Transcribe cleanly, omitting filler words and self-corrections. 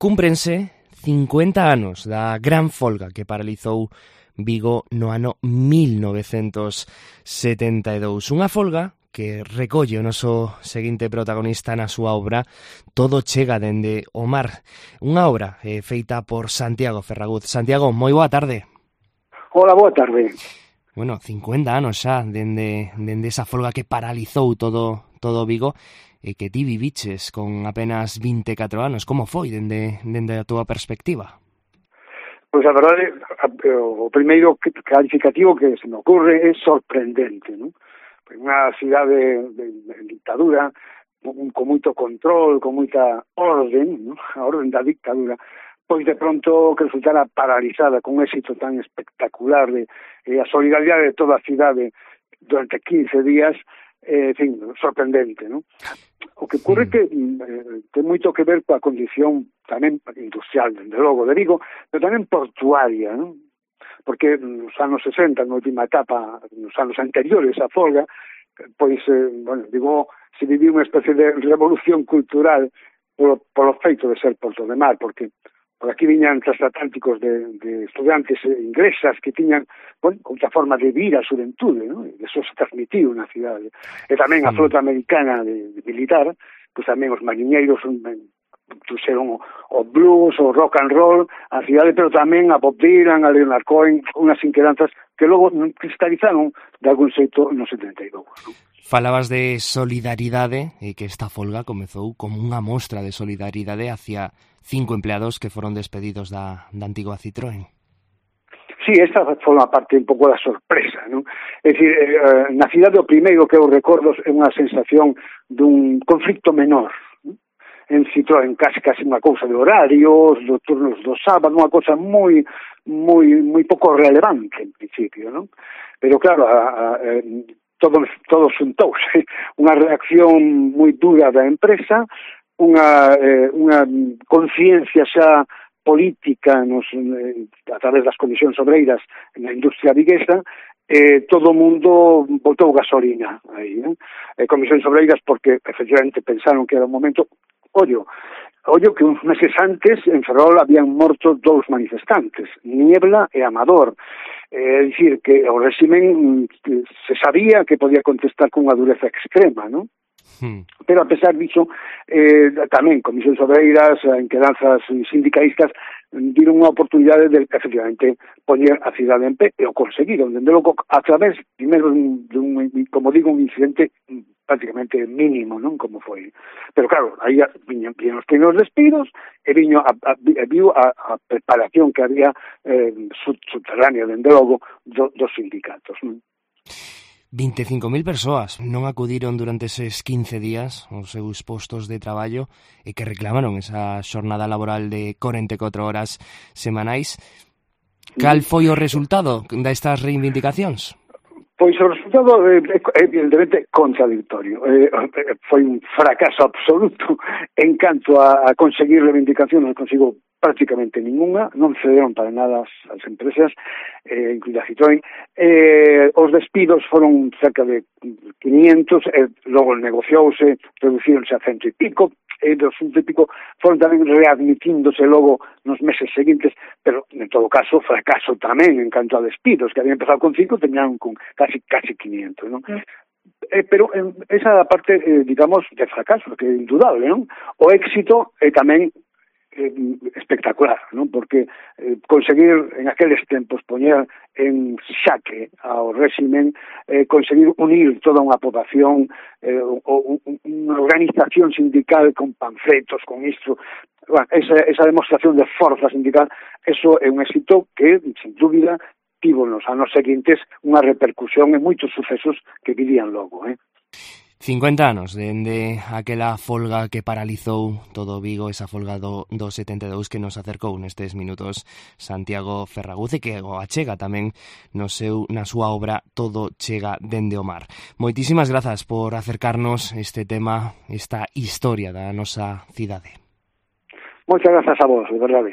Cúmprense 50 anos da gran folga que paralizou Vigo no ano 1972. Unha folga que recolle o noso seguinte protagonista na súa obra Todo chega dende o mar. Unha obra feita por Santiago Ferraguz. Santiago, moi boa tarde. Hola, boa tarde. Bueno, 50 anos xa dende esa folga que paralizou todo Vigo e que ti viviches con apenas 24 anos. Como foi dende a túa perspectiva? Pois a verdade, o primeiro calificativo que se me ocurre é sorprendente, non? Unha cidade de dictadura, con moito control, con moita orden, non? A orden da dictadura, pois de pronto que resultara paralizada con un éxito tan espectacular de a solidaridade de toda a cidade durante 15 días, en fin, sorprendente, non? O que ocurre que ten moito que ver coa condición tamén industrial, dende logo, de Vigo, pero tamén portuaria, non? Porque nos anos 60, na última etapa, nos anos anteriores á folga, pois, Vigo se viviu unha especie de revolución cultural polo feito de ser porto de mar, porque por aquí viñan transatlánticos de estudantes inglesas que tiñan outra forma de vir a xuventude, ¿no? E eso se transmitiu na cidade. E tamén a flota americana de militar, pois tamén os mariñeiros trouxeron o blues, o rock and roll a cidade, pero tamén a Bob Dylan, a Leonard Cohen, unhas inquedanzas que logo cristalizaron de algún xeito no 72, ¿no? Falabas de solidaridade e que esta folga comezou como unha mostra de solidaridade hacia 5 empleados que foron despedidos da antiga Citroën. Sí, esta forma parte un pouco da sorpresa, non? É dicir, na cidade o primeiro que eu recordo é unha sensación dun conflicto menor, non? En Citroën casi unha cousa de horarios, dos turnos do sábado, unha cousa moi pouco relevante en principio, non? Pero claro, todo xuntouse, unha reacción moi dura da empresa, unha conciencia xa política a través das comisións obreiras na industria viguesa, todo o mundo botou gasolina aí, comisións obreiras porque efectivamente pensaron que era un momento. Ollo que uns meses antes en Ferrol habían morto 2 manifestantes, Niebla e Amador. É dicir, que o réximen se sabía que podía contestar con unha dureza extrema, non? Pero a pesar disso, tamén comisións obreiras, enquedanzas sindicalistas viron unha oportunidade de efectivamente poñer a cidade en pé e o conseguiron, dende logo a través primeiro dun, como digo, un incidente prácticamente mínimo, non? Como foi. Pero claro, aí viñan os primeiros despidos e viu a preparación que había subterránea, dende logo, dos sindicatos, non? 25.000 persoas non acudiron durante eses 15 días aos seus postos de traballo e que reclamaron esa xornada laboral de 44 horas semanais. Cal foi o resultado destas reivindicacións? Pois o resultado é evidentemente contradictorio. Foi un fracaso absoluto en canto a conseguir reivindicación, non consigo prácticamente ninguna, non cederon para nada as empresas, incluída Citroën. Os despidos foron cerca de 500, logo negociouse, reducíronse a 100 e pico, e dos 100 e pico foron tamén readmitíndose logo nos meses seguintes, pero en todo caso fracaso tamén en canto a despidos, que habían empezado con 5, teñan con casi 500, non? Pero esa parte, digamos, de fracaso, que é indudable, non? O éxito é tamén espectacular, non? Porque conseguir en aqueles tempos poñer en xaque ao réximen, conseguir unir toda unha poboación, unha organización sindical con panfletos, con isto, esa demostración de forza sindical, eso é un éxito que, sin dúbida, tivo nos anos seguintes unha repercusión en moitos sucesos que virían logo, 50 anos dende aquela folga que paralizou todo Vigo, esa folga do 72 que nos acercou nestes minutos Santiago Ferraguz e que o achega tamén na súa obra Todo chega dende o mar. Moitísimas grazas por acercarnos este tema, esta historia da nosa cidade. Moitas grazas a vos, de verdade.